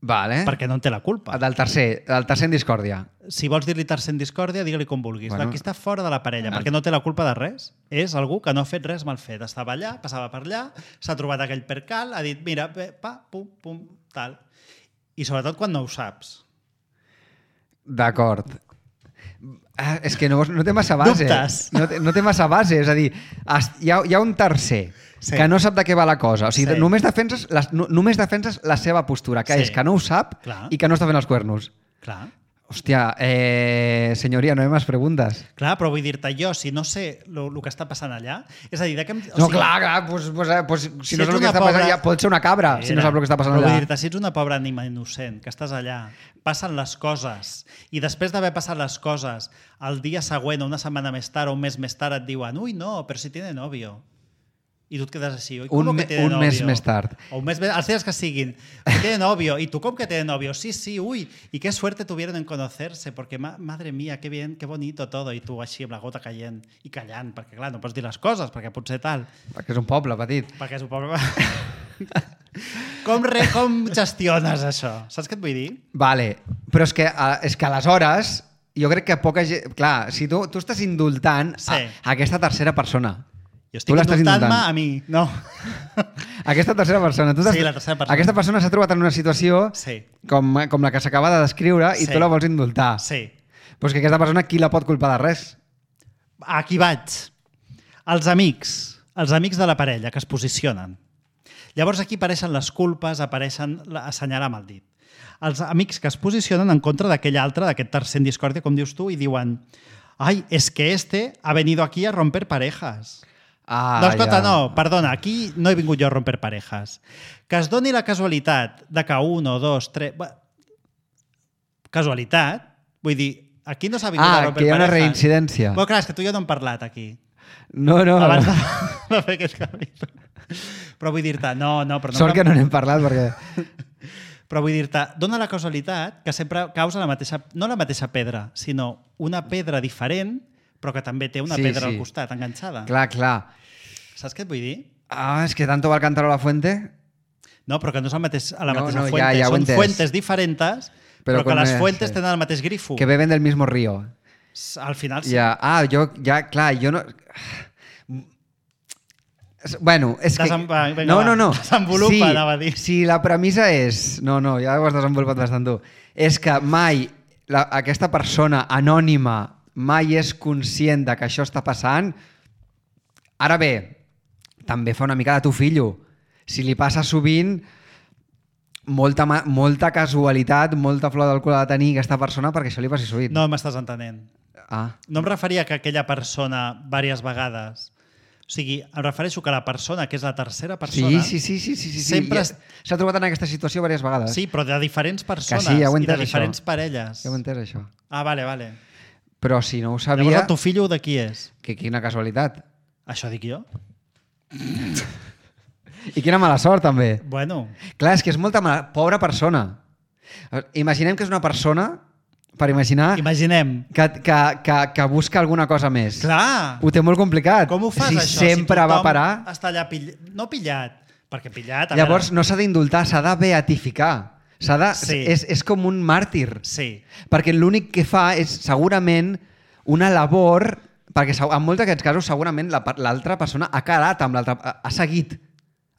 Vale. perquè no en té la culpa. Del tercer, del tercer en discòrdia. Si vols dir-li tercer en discòrdia, digue-li com vulguis. Bueno. Bueno, de qui està fora de la parella, El- perquè no té la culpa de res. És algú que no ha fet res mal fet. Estava allà, passava per allà, s'ha trobat aquell percal, ha dit, mira, bé, pa, pum, pum, tal. I sobretot quan no ho saps. D'acord. Ah, és que no, no té massa base. Dubtes. No té, no té massa base. És a dir, es- hi ha, hi ha un tercer Sí. que no sap de què va la cosa. O sigui, Sí. només, defenses la, no, només defenses la seva postura, que Sí. és que no ho sap Clar. i que no està fent els cuernos. Clar. Hòstia, eh, senyoria, no hi ha més preguntes. Clar, però vull dir-te, jo, si no sé el que està passant allà, és a dir, de què... em- O No, sigui, clar, clar, pues, pues, eh, pues, si, Si no ets saps el que una està passant pobra- allà, pot ser una cabra, si no Mira, sap el que està passant però allà. Vull dir-te, si ets una pobra ànima innocent, que estàs allà, passen les coses, i després d'haver passat les coses, el dia següent, o una setmana més tard, o un mes més tard, et diuen, ui, no, però si tiene novio. I tu et quedes així. "Ui, Un ¿cómo me- que tiene un mes novio?" més tard. O un mes més, els dies que siguin. Que tiene novio. ¿Y tú cómo que tiene novio? Sí, sí, uy. Y qué suerte tuvieron en conocerse, porque ma madre mía, qué bien, qué bonito todo. I tu així amb la gota caient i callant, perquè clar, no pots dir les coses, perquè potser tal. Perquè és un poble petit. Perquè és un poble... com, re, com gestiones això? Saps què et vull dir? Vale, però és que, eh, és que aleshores jo crec que poca gent... Clar, si tu, tu estàs indultant Sí. a, a aquesta tercera persona. Jo Tu estic l'estàs indultant-me indultant. a mi. No. Aquesta tercera persona. Tu t'has- Sí, la tercera persona. Aquesta persona s'ha trobat en una situació Sí. com, com la que s'acaba de descriure i Sí. tu la vols indultar. Sí. Però és que aquesta persona qui la pot culpar de res? Aquí vaig. Els amics. Els amics de la parella que es posicionen. Llavors aquí apareixen les culpes, apareixen la- assenyalar amb el dit. Els amics que es posicionen en contra d'aquell altre, d'aquest tercer en discòrdia, com dius tu, i diuen ai, es que este ha venido aquí a romper parejas. Ah, no, escolta, ja. no, perdona, aquí no he vingut jo a romper parejas. Que es doni la casualitat de que un o dos, tres... Bé, casualitat, vull dir, aquí no s'ha vingut a Ah, romper que hi ha una parejas. reincidència. Bueno, clar, és que tu i jo no hem parlat aquí. No, no. Abans de, de fer aquest canvi. Però vull dir-te, no, no, però no... Sort que no n'hem parlat perquè... Però vull dir-te, dona la casualitat que sempre causa la mateixa, no la mateixa pedra, sinó una pedra diferent, però que també té una Sí, pedra sí. al costat, enganxada. Clar, clar. Saps què et vull dir? Ah, és que tanto va el cántaro a la fuente... No, però que no és el mateix, a la No, mateixa no, ja- fuente. ja ho he Són entès. fuentes diferents, però, Però que com les és, fuentes sí. tenen el mateix grifo. Que beben del mismo río. Al final sí. Ja, ah, jo, ja, clar, jo no... Bueno, és que... Desem- va, vinga, no, va, no, no. desenvolupa, sí, anava a dir. Si la premissa és... No, no, ja ho has desenvolupat bastant tu. És que mai la, aquesta persona anònima mai és conscient de que això està passant. Ara bé, també fa una mica de tu fillo. Si li passa sovint, molta, ma- molta casualitat, molta flor del cul ha de tenir aquesta persona perquè això li passi sovint. No m'estàs entenent. Ah, No em referia que aquella persona diverses vegades... O sigui, em refereixo que la persona, que és la tercera persona... sí, sí, sí, sí, sí, sí. Sempre I s'ha trobat en aquesta situació diverses vegades. Sí, però de diferents persones sí, ja ho he i de entès, diferents això. parelles. Ja ho he entès, això. Ah, vale, vale. Però si no ho sabia... Llavors el tu fillo de qui és? Que quina casualitat. Això dic jo. I quina mala sort, també. Bueno, Clar, és que és molta mala... Pobra persona. Imaginem que és una persona, per imaginar, imaginem. que, que, que, que busca alguna cosa més. Clar! Ho té molt complicat. Com ho fas, si això? sempre si va parar... està allà pillat... No pillat, perquè pillat... a Llavors veure, no s'ha d'indultar, s'ha de beatificar. S'ha de... Sí. És, és com un màrtir. Sí. Perquè l'únic que fa és segurament una labor... Perquè en molts d'aquests casos segurament la- l'altra persona ha quedat amb l'altra... Ha seguit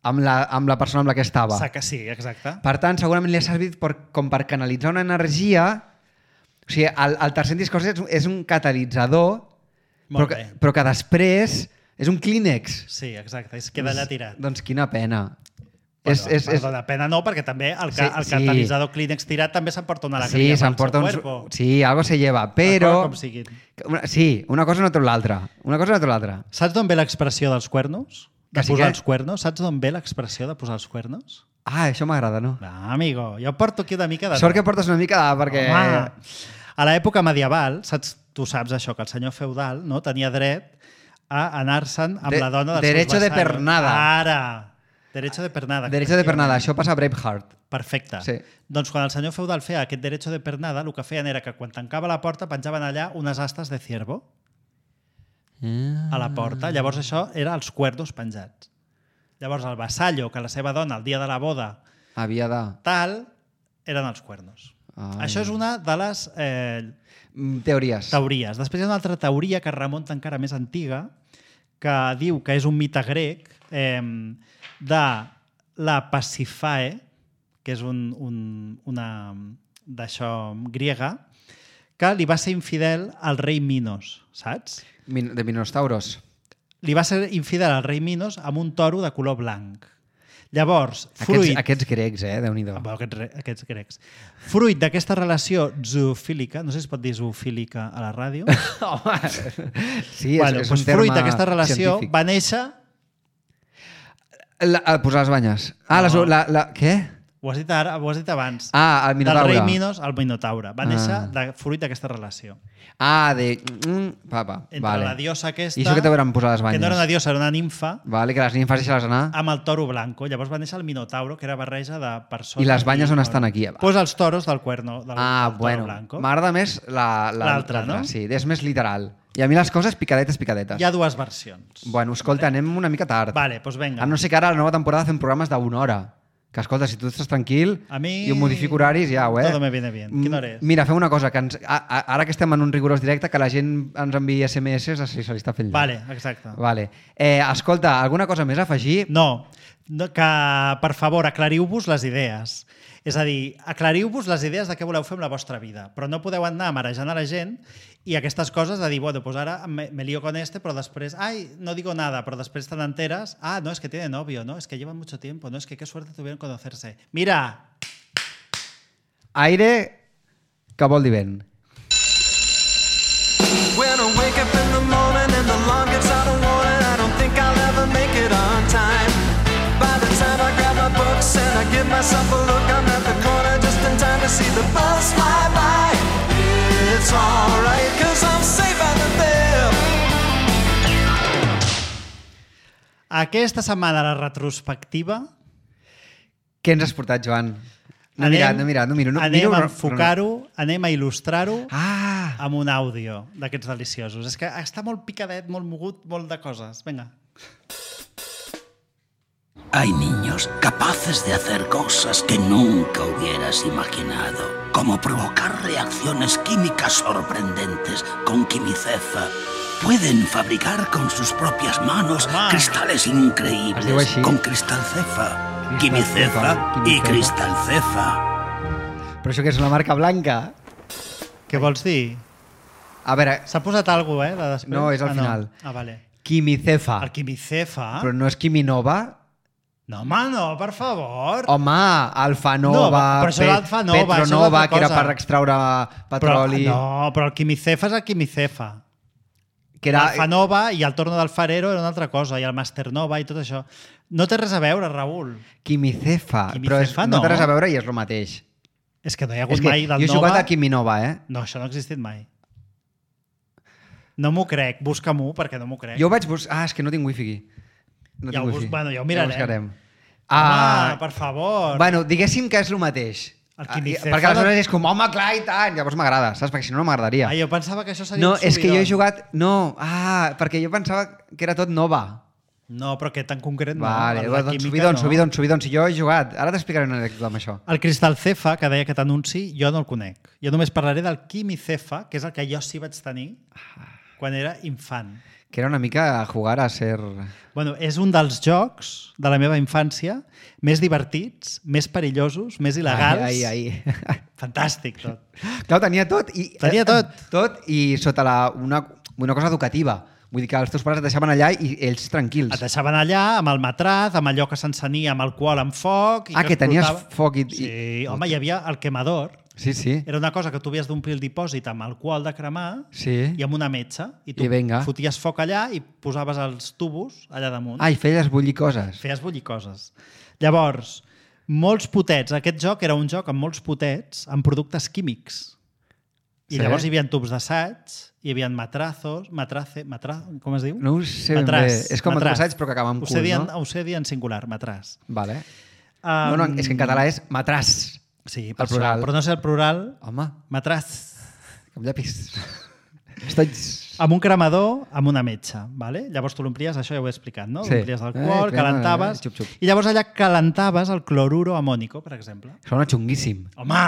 amb la, amb la persona amb la que estava. Sa que sí, exacte. Per tant, segurament li ha servit per, com per canalitzar una energia. O sigui, el, el tercer discurs és, és un catalitzador, però Molt que, bé. però que després és un clínex. Sí, exacte. Es queda allà tirat. Doncs quina pena. Bueno, és, és, és, perdona, pena no, perquè també el, ca, Sí, el sí. catalitzador Kleenex tirat també s'emporta una sí, alegria pel s'emporta seu uns... cuerpo. Sí, algo se lleva, però... Com siguin. Una, sí, una cosa no treu l'altra. Una cosa no treu l'altra. Saps d'on ve l'expressió dels cuernos? De Que sí posar que- els cuernos? Saps d'on ve l'expressió de posar els cuernos? Ah, això m'agrada, no? Ah, amigo, jo porto aquí una mica de... Sort que portes una mica de... perquè... Home, a l'època medieval, saps, tu saps això, que el senyor feudal no tenia dret a anar-se'n amb De- la dona dels derecho seus de vassallos. pernada. Ara! Derecho de pernada. Derecho de pernada, això passa a Braveheart. Perfecte. Sí. Doncs quan el senyor feudal feia aquest derecho de pernada, el que feien era que quan tancava la porta penjaven allà unes astes de ciervo a la porta. Llavors això era els cuerdos penjats. Llavors el vassallo, que la seva dona el dia de la boda Havia de... tal, eren els cuernos. Ai. Això és una de les eh, Mm, Teories. teories. Després hi ha una altra teoria que remunta encara més antiga, que diu que és un mite grec eh, de la Pasífae, que és un, un, una d'això griega, que li va ser infidel al rei Minos, saps? Min de Minostauros. Li va ser infidel al rei Minos amb un toro de color blanc. Llavors, Aquests, fruit... aquests grecs, eh? Déu-n'hi-do. Ah, bueno, aquests, re- aquests grecs. Fruit d'aquesta relació zoofílica, no sé si es pot dir zoofílica a la ràdio, Home, sí, bueno, és, és doncs un terme fruit d'aquesta relació científic. va néixer... La, a posar les banyes. Ah, No. les, la, la, què? Ho has dit, ara, ho has dit abans. Ah, el Del Minotaure. rei Minos al Minotaure. Va néixer Ah. de, fruit d'aquesta relació. Ah, de... Mm, papa, Entre vale. la diosa aquesta... I això que te veuran posar les banyes. Que no era una diosa, era una nimfa, Vale, que les nimfes deixar-les anar. amb el toro blanco. Llavors va néixer el Minotauro, que era barreja de persones... I les banyes on estan aquí? Pues els toros del cuerno, del, Ah, del bueno. toro blanco. M'agrada més la- la- L'altra, no? Sí, és més literal. I a mi les coses picadetes, picadetes. Hi ha dues versions. Bueno, escolta, anem una mica tard. Vale, doncs venga. A no ser que ara a la nova temporada fem programes d'una hora. Que, escolta, si tu estàs tranquil A mi... i ho modifico horaris, ja, eh? Todo me viene bien. Quina hora és? Mira, fem una cosa, que ens, a, a, ara que estem en un rigorós directe, que la gent ens enviï esse eme esse si se li està fent llarg. Vale, exacte. Vale. Eh, escolta, alguna cosa més a afegir? No, no, que per favor aclariu-vos les idees. És a dir, aclariu-vos les idees de què voleu fer amb la vostra vida, però no podeu anar marejant a la gent i aquestes coses de dir, bueno, pues ara me, me lío con este, però després, ai, no digo nada, però després te n'enteres, ah, no, es que tiene novio, no, es que llevan mucho tiempo, no, es que qué suerte tuvieron conocerse. Mira! Aire que vol dir vent. When I wake up in the morning and the alarm gets out of warning, I don't think I'll ever make it on time. By the time I grab my books and I give myself a look, I'm at the corner just in time to see the bus fly by. It's alright, cause I'm safe out of there. Aquesta setmana la retrospectiva Què ens has portat, Joan? No he anem, mirat, no he mirat, no miro. No, anem miro, a però- enfocar-ho, anem a il·lustrar-ho Ah! amb un àudio d'aquests deliciosos. És que està molt picadet, molt mogut, molt de coses. Vinga. Hay niños capaces de hacer cosas que nunca hubieras imaginado, como provocar reacciones químicas sorprendentes con quimicefa. Pueden fabricar con sus propias manos Toma. cristales Es diu increíbles així. con cristalcefa, Cristalcefa, quimicefa y quimicefa. cristalcefa. Però això que és una marca blanca? Què vols dir? A veure, S'ha posat alguna cosa, eh, de després? No, és al ah, final. No. Ah, vale. quimicefa. El quimicefa? Però no és quiminova? No, home, no, per favor. Home, alfanova, No, però això Pet- l'alfanova, això és Petronova, altra que era cosa. per extraure però, petroli. no, però el quimicefa és el quimicefa. Que era... L'alfanova i el torno del farero era una altra cosa, i el masternova i tot això. No té res a veure, Raül. Quimicefa, Quimicefa, però és, no. no. té res a veure i és el mateix. És que no hi ha hagut És que mai del jo he jugat Nova. a Quiminova, eh? No, això no ha existit mai. No m'ho crec, busca-m'ho perquè no m'ho crec. Jo vaig buscar... Ah, és que no tinc wifi aquí. No Ja tinc ho bus- wifi. bueno, ja ho mirarem. Ja ho buscarem. Home, per favor. Bueno, diguéssim que és el mateix. El Ah, Quimicefa perquè aleshores de- és com, home, clar, i tant. Llavors m'agrada, saps? Perquè si no, no m'agradaria. Ah, jo pensava que això seria No, un és que jo he subidon. jugat... No, ah, perquè jo pensava que era tot nova. No, però aquest en concret no. Vale, La doncs química subidon, no. subidon, subidon. Si jo he jugat, ara t'explicaré una anècdota amb això. El Cristal Cefa, que deia aquest anunci, jo no el conec. Jo només parlaré del Quimicefa, que és el que jo sí vaig tenir quan era infant. Que era una mica jugar a ser... Bueno, és un dels jocs de la meva infància més divertits, més perillosos, més il·legals. Ai, ai, ai. Fantàstic, tot. Clar, tenia tot. I, Tenia tot. Tot i sota la, una, una cosa educativa. Vull dir que els teus pares et deixaven allà i ells tranquils. Et deixaven allà amb el matraz, amb allò que s'encenia amb alcohol amb foc. I Ah, que tenies explotava. foc i... i- Sí, home, hi havia el quemador. Sí, sí. Era una cosa que tu havies d'omplir el dipòsit amb alcohol de cremar Sí. i amb una metxa. I tu I vinga. foties foc allà i posaves els tubos allà damunt. Ah, i feies bullir coses. Feies bullir coses. Llavors, molts potets. Aquest joc era un joc amb molts potets amb productes químics. I Sí. llavors hi havia tubs d'assaig, hi havia matrazos, matrace, matra, com es diu? No ho sé ben Matràs, bé. És com matràs. assaig, però que acaba amb Ho sé cul, dir en- no? Ho sé dir en singular, matràs. Vale. Um, No, no, és que en català és matràs. Sí, el per això, plural. però no sé el plural. Home, Matràs. com llapis. Estoy... Amb un cremador, amb una metxa. Vale? Llavors tu l'omplies, això ja ho he explicat, no? Sí. L'omplies d'alcohol, Eh, crema, calentaves... eh, xup, xup. I llavors allà calentaves el cloruro amònico, per exemple. Sona xunguíssim. Home!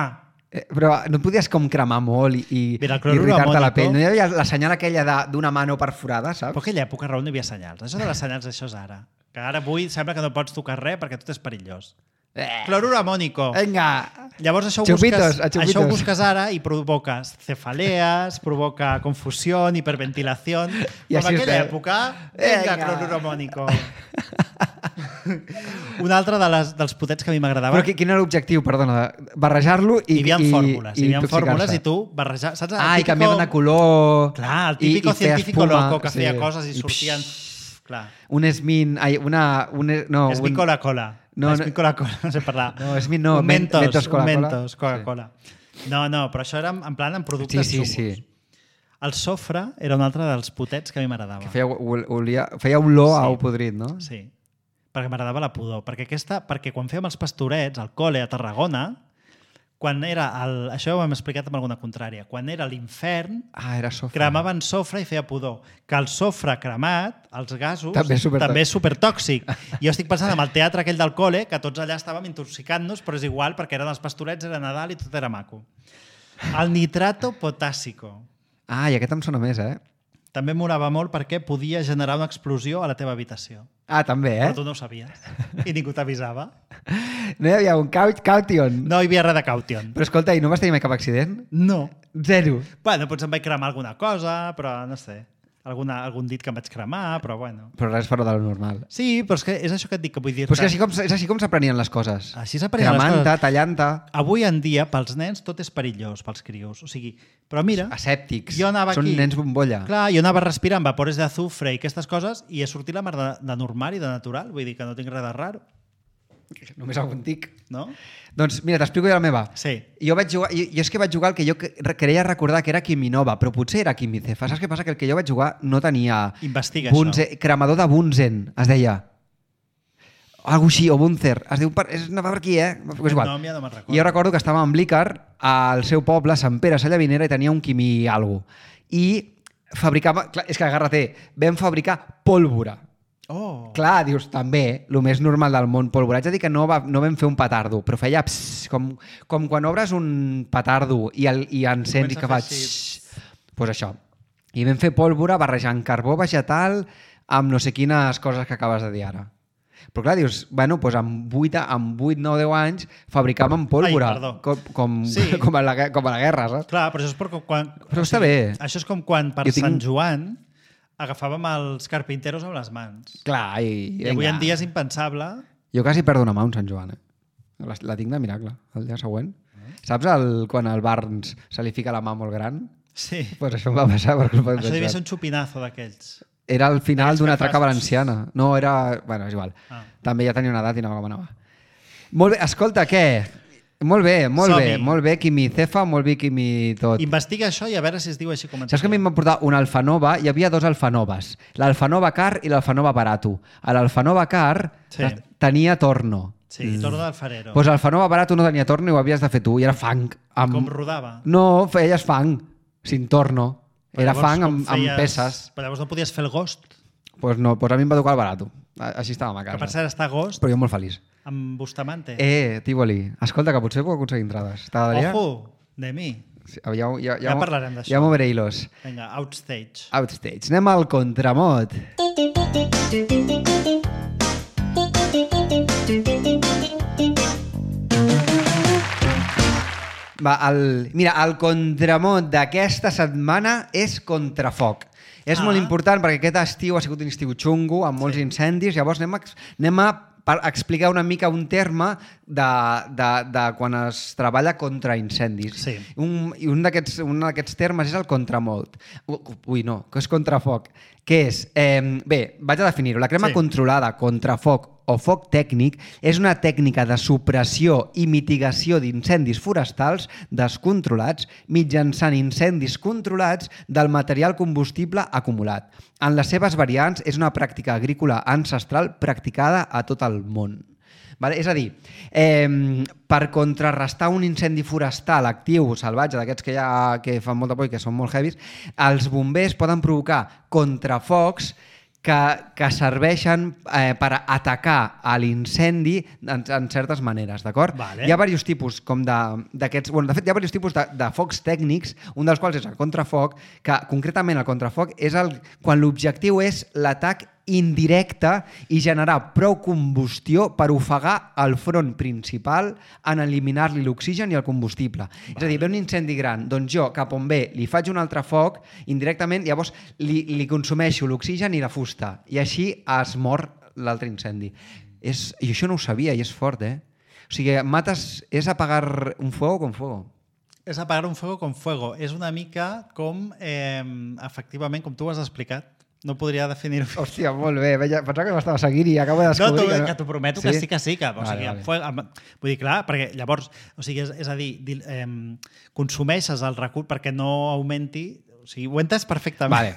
Eh, però no podies com cremar molt i, i, Mira, el i clorur irritar-te la amònico- pell. No hi havia la senyal aquella de- d'una mano perforada, saps? Però aquella època, Raül, no hi havia senyals. Això de les senyals, això és ara. Que ara avui sembla que no pots tocar res perquè tot és perillós. Eh. Clorur amònico. Vinga! Llavors això ho, Xupitos, busques, a xupitos. això ho busques ara i provoques cefalees, provoca confusió, hiperventilació. I Com així aquella estem. època, vinga, Vinga. clorur amònico. Un altre de les, dels potets que a mi m'agradava... Però qui- quin era l'objectiu, perdona? Barrejar-lo i... Hi havia i, fórmules, hi i havia intoxicar-se. fórmules i tu barrejar... Saps? El Ah, i típico- canviaven de color... Clar, el i- típico i feia científico espuma, loco que feia sí. coses i I sortien... psh, Clar. Un esmin... Ai, una... Un, no, És un, mi Coca-Cola. No, és no- mi Coca-Cola, no sé parlar. No, és mi no, Un men- Mentos, Mentos un Coca-Cola. Mentos Coca-Cola. No, no, però això era en plan en productes Sí, sí, xungos. sí. El sofre era un altre dels potets que a mi m'agradava. Que feia, ol- olia, feia olor a Sí. ou podrit, no? Sí, perquè m'agradava la pudor. Perquè, aquesta, perquè quan fèiem els pastorets al col·le a Tarragona, quan era el, això ho hem explicat amb alguna contrària, quan era l'infern, Ah, era sofre. cremaven sofre i feia pudor. Que el sofre cremat, els gasos, També és supertòxic. també és supertòxic. Jo estic pensant en el teatre aquell del col·le, que tots allà estàvem intoxicant-nos, però és igual, perquè eren els pastorets, era Nadal i tot era maco. El nitrato potàssico. Ah, i aquest em sona més, eh? També m'olava molt perquè podia generar una explosió a la teva habitació. Ah, també, eh? Però tu no ho sabies. I ningú t'avisava. No hi havia un cau caution. No hi havia res de caution. Però escolta, i no vas tenir mai cap accident? No. Zero. Bueno, potser em vaig cremar alguna cosa, però no sé. Alguna, algun dit que em vaig cremar, però bueno. Però res fora de lo normal. Sí, però és, que és això que et dic, que vull dir... Però és que així com, és així com s'aprenien les coses. Així s'aprenien les Cremant-te, coses. tallant-te, Avui en dia, pels nens, tot és perillós, pels crios. O sigui, però mira, asèptics. jo anava Són aquí... nens bombolla. Clar, jo anava respirant vapores d'azufre i aquestes coses i he sortit la mar de, de normal i de natural. Vull dir que no tinc res de raro, Només algun tic. no? Doncs mira, t'explico jo la meva. Sí. Jo, vaig jugar, jo, jo és que vaig jugar el que jo cre- creia recordar que era Quiminova, però potser era Quimicefa. Saps què passa? Que el que jo vaig jugar no tenia... Investiga Bunze, cremador de Bunzen, es deia. Algo així, o Bunzer. Es diu per, és, no va per aquí, eh? És igual. No, ja no me'n recordo. I jo recordo que estava en Blícar, al seu poble, Sant Pere Sallavinera, i tenia un quimi algo. I fabricava... Clar, és que agarra-te, vam fabricar pólvora. Oh. Clar, dius, també, el més normal del món, pólvora. Haig de dir que no, va, no vam fer un petardo, però feia pss, com, com quan obres un petardo i, el, i encens i Comença que a fa... fer així. Doncs pues això. I vam fer pólvora barrejant carbó vegetal amb no sé quines coses que acabes de dir ara. Però clar, dius, bueno, doncs amb vuit, amb vuit nou, deu anys fabricàvem pólvora. Ai, perdó. com, com, Sí. com, a la, gue- com a la guerra, saps? Clar, però això és perquè quan... Però està bé. Això és com quan per Jo tinc- Sant Joan agafàvem els carpinteros amb les mans. Clar, i... I avui vinga. en dia és impensable. Jo quasi perdo una mà un Sant Joan, eh? La, la tinc de miracle, el dia següent. Saps el, quan al Barnes se li fica la mà molt gran? Sí. Pues això em va passar per culpa d'un Això devia Sant ser Joan. un xupinazo d'aquells. Era el final D'aquells d'una que traca fas- valenciana. No, era... Bueno, és igual. Ah. També ja tenia una edat i anava com anava. Molt bé, escolta, què? Molt bé, molt Som-hi. bé, molt bé, Quimicefa, molt bé, Quimi tot. Investiga això i a veure si es diu així com ens Saps que a mi em van portar una Alfanova? Hi havia dos Alfanoves, l'Alfanova Car i l'Alfanova Barato. A l'Alfanova Car Sí. tenia torno. Sí, torno d'Alfarero. Doncs l'Alfanova Barato no tenia torno i ho havies de fer tu, i era fang. Amb... Com rodava? No, feies fang, sin torno. Però Era llavors, fang com amb, amb feies- peces. Però llavors no podies fer el Ghost, Pues no, pues a mi em va tocar el Barato. A- Així estàvem a que per casa. cert està a Ghost Però jo molt feliç. amb Bustamante. Eh, Tívoli, escolta, que potser puc aconseguir entrades. T'agradaria? Ojo, de mi. Sí, ja, ja, ja, Ja parlarem d'això. Ja moveré hilos. Vinga, outstage. Outstage. Anem al contramot. Va, el, mira, el contramot d'aquesta setmana és contrafoc. És Ah. molt important perquè aquest estiu ha sigut un estiu xungo, amb molts incendis, llavors anem a, anem a per explicar una mica un terme de, de, de quan es treballa contra incendis. Sí. Un, I un d'aquests un d'aquests termes és el contramot. Ui, no, que és contrafoc. Què és? Eh, bé, vaig a definir-ho. La crema Sí. controlada contra foc o foc tècnic és una tècnica de supressió i mitigació d'incendis forestals descontrolats mitjançant incendis controlats del material combustible acumulat. En les seves variants és una pràctica agrícola ancestral practicada a tot el món. Vale? És a dir, eh, per contrarrestar un incendi forestal actiu, salvatge, d'aquests que, ha, que fan molta por i que són molt heavies, els bombers poden provocar contrafocs que, que serveixen eh, per atacar a l'incendi en, en certes maneres, d'acord? Vale. Hi ha diversos tipus com de- d'aquests... Bueno, de fet, hi ha diversos tipus de, de focs tècnics, un dels quals és el contrafoc, que concretament el contrafoc és el, quan l'objectiu és l'atac indirecte i generar prou combustió per ofegar el front principal en eliminar-li l'oxigen i el combustible. Vale. És a dir, ve un incendi gran, doncs jo, cap on ve, li faig un altre foc, indirectament, llavors li, li consumeixo l'oxigen i la fusta, i així es mor l'altre incendi. És, I això no ho sabia, i és fort, eh? O sigui, mates, és apagar un fuego con fuego. És apagar un fuego con fuego. És una mica com, eh, efectivament, com tu ho has explicat. No podria definir-ho. Hòstia, molt bé. Veia, pensava que m'estava seguint i acabo de No, descobrir... tu, que, que t'ho prometo que sí que sí. Que, o Vale, sigui, vale. Fue, amb, vull dir, clar, perquè llavors, o sigui, és, és a dir, di- eh, consumeixes el recurs perquè no augmenti... O sigui, ho he entès perfectament. Vale.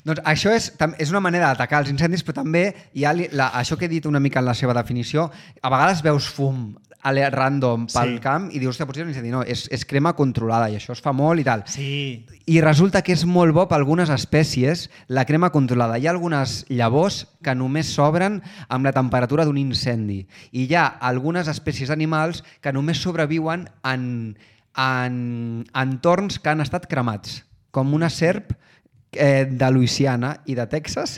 Doncs això és, tam- és una manera d'atacar els incendis, però també hi ha li- la, això que he dit una mica en la seva definició, a vegades veus fum ale- random pel Sí. camp i dius, hòstia, potser és un incendi. No, és, és crema controlada i això es fa molt i tal. Sí. I resulta que és molt bo per algunes espècies la crema controlada. Hi ha algunes llavors que només s'obren amb la temperatura d'un incendi. I hi ha algunes espècies animals que només sobreviuen en, en entorns que han estat cremats, com una serp eh, de Louisiana i de Texas.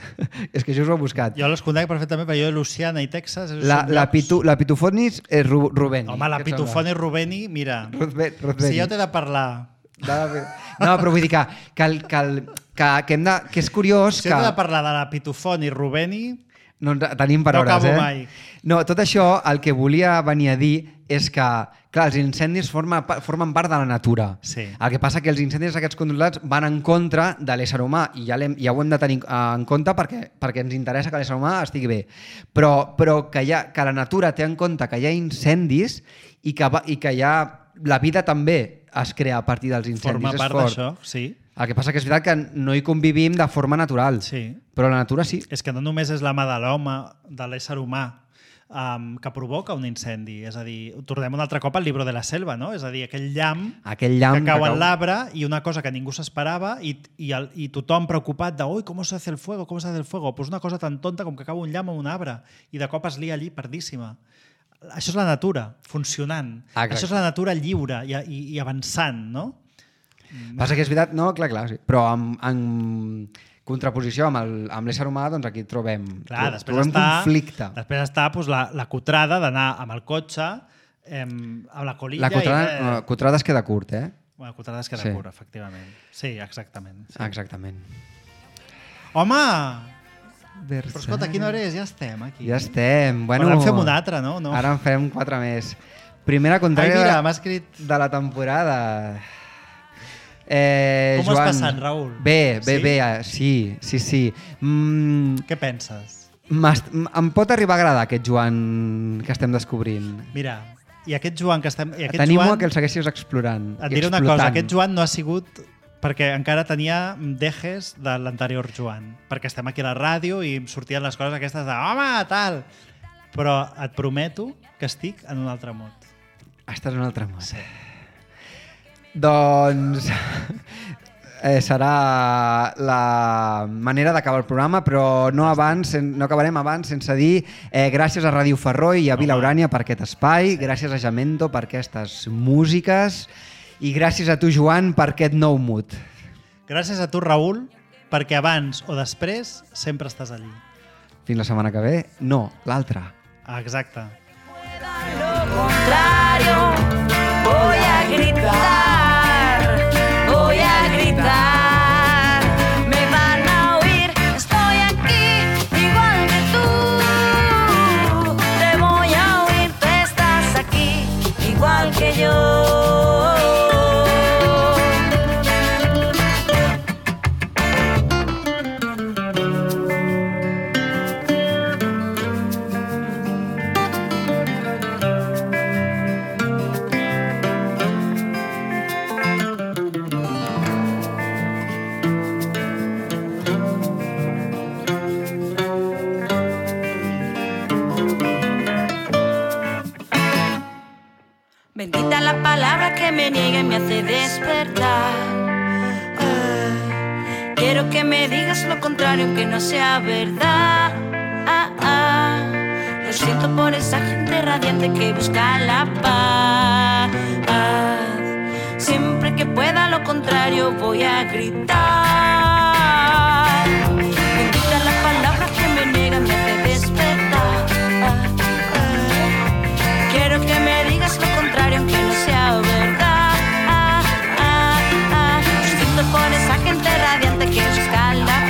És que això us ho he buscat. Jo les conec perfectament, perquè jo de Luciana i Texas... La, són la, llocs- pitu, la pitufonis és Ru, Rubeni. Home, la Què et sembla? pitufoni Rubeni, mira, Ruthve- Ruthveni. si jo t'he de parlar... De la- No, però vull dir que, que, el, que, el, que, que, hem de, que és curiós Si que... jo t'he de parlar de la pitufoni Rubeni... No ens tenim per No hores, acabo eh? mai. No, tot això, el que volia venir a dir és que, clar, els incendis formen, formen part de la natura. Sí. El que passa que els incendis aquests controlats van en contra de l'ésser humà i ja, l'hem- ja ho hem de tenir en compte perquè, perquè ens interessa que l'ésser humà estigui bé. Però, però que, hi ha, que la natura té en compte que hi ha incendis i que, va, i que hi ha, la vida també es crea a partir dels incendis. Forma és part fort. d'això, sí. El que passa que és veritat que no hi convivim de forma natural, Sí. però la natura sí. És que no només és la mà de l'home, de l'ésser humà, um, que provoca un incendi. És a dir, tornem un altre cop al llibre de la selva, no? És a dir, aquell llamp, Aquell llamp que cau que en cau. l'arbre i una cosa que ningú s'esperava i, i, el, i tothom preocupat de «Ui, com se hace el fuego? Com se hace el fuego?» Pues una cosa tan tonta com que cau un llamp en un arbre i de cop es lia allí perdíssima. Això és la natura, funcionant. Exacte. Això és la natura lliure i, i, i avançant, no? Passa que és veritat, no, clar, clar, sí. Però en, en contraposició amb el- amb l'ésser humà, doncs aquí trobem, Clar, tro- després trobem està, conflicte. Després està doncs, la, la cutrada d'anar amb el cotxe, em, amb la colilla... La cutrada, i, eh... cutrada es queda curt, eh? Bueno, cutrada es queda Sí. curt, efectivament. Sí, exactament. Sí. Exactament. Home! Versailles. Però escolta, a quina hora és? Ja estem aquí. Ja estem. Bueno, Ara en fem una altra, no? no. Ara en fem quatre més. Primera Ai, contrària mira, de, m'ha escrit... de la temporada. Eh, Com ho has Joan, passat, Raül? Bé, bé, Sí? bé, eh, sí, sí, sí. Mm, Què penses? m'est- em pot arribar a agradar aquest Joan que estem descobrint. Mira, I aquest Joan que estem... I aquest T'animo Joan, a que el segueixis explorant. et i diré una explotant. cosa, aquest Joan no ha sigut perquè encara tenia dejes de l'anterior Joan, perquè estem aquí a la ràdio i em sortien les coses aquestes de home, tal, però et prometo que estic en un altre món. Estàs en un altre món. Sí. Doncs eh, serà la manera d'acabar el programa, però no, abans, no acabarem abans sense dir eh, gràcies a Ràdio Ferroi i a Vila Urània per aquest espai, gràcies a Jamendo per aquestes músiques i gràcies a tu, Joan, per aquest nou mood. Gràcies a tu, Raül, perquè abans o després sempre estàs allí. Fins la setmana que ve? No, l'altra. Ah, exacte. Lo contrario, voy a gritar, voy a gritar, me van a oír, estoy aquí, igual que tú, te voy a oír, tú estás aquí, igual que yo. Bendita la palabra que me niega y me hace despertar. Ah, quiero que me digas lo contrario aunque no sea verdad. Ah, ah, lo siento por esa gente radiante que busca la paz. Siempre que pueda lo contrario voy a gritar. Bendita la palabra que me niega y me hace despertar. Ah, ah, quiero que me digas lo contrario aunque no sea verdad. Ah, ah, ah. Lo siento por esa gente radiante que busca la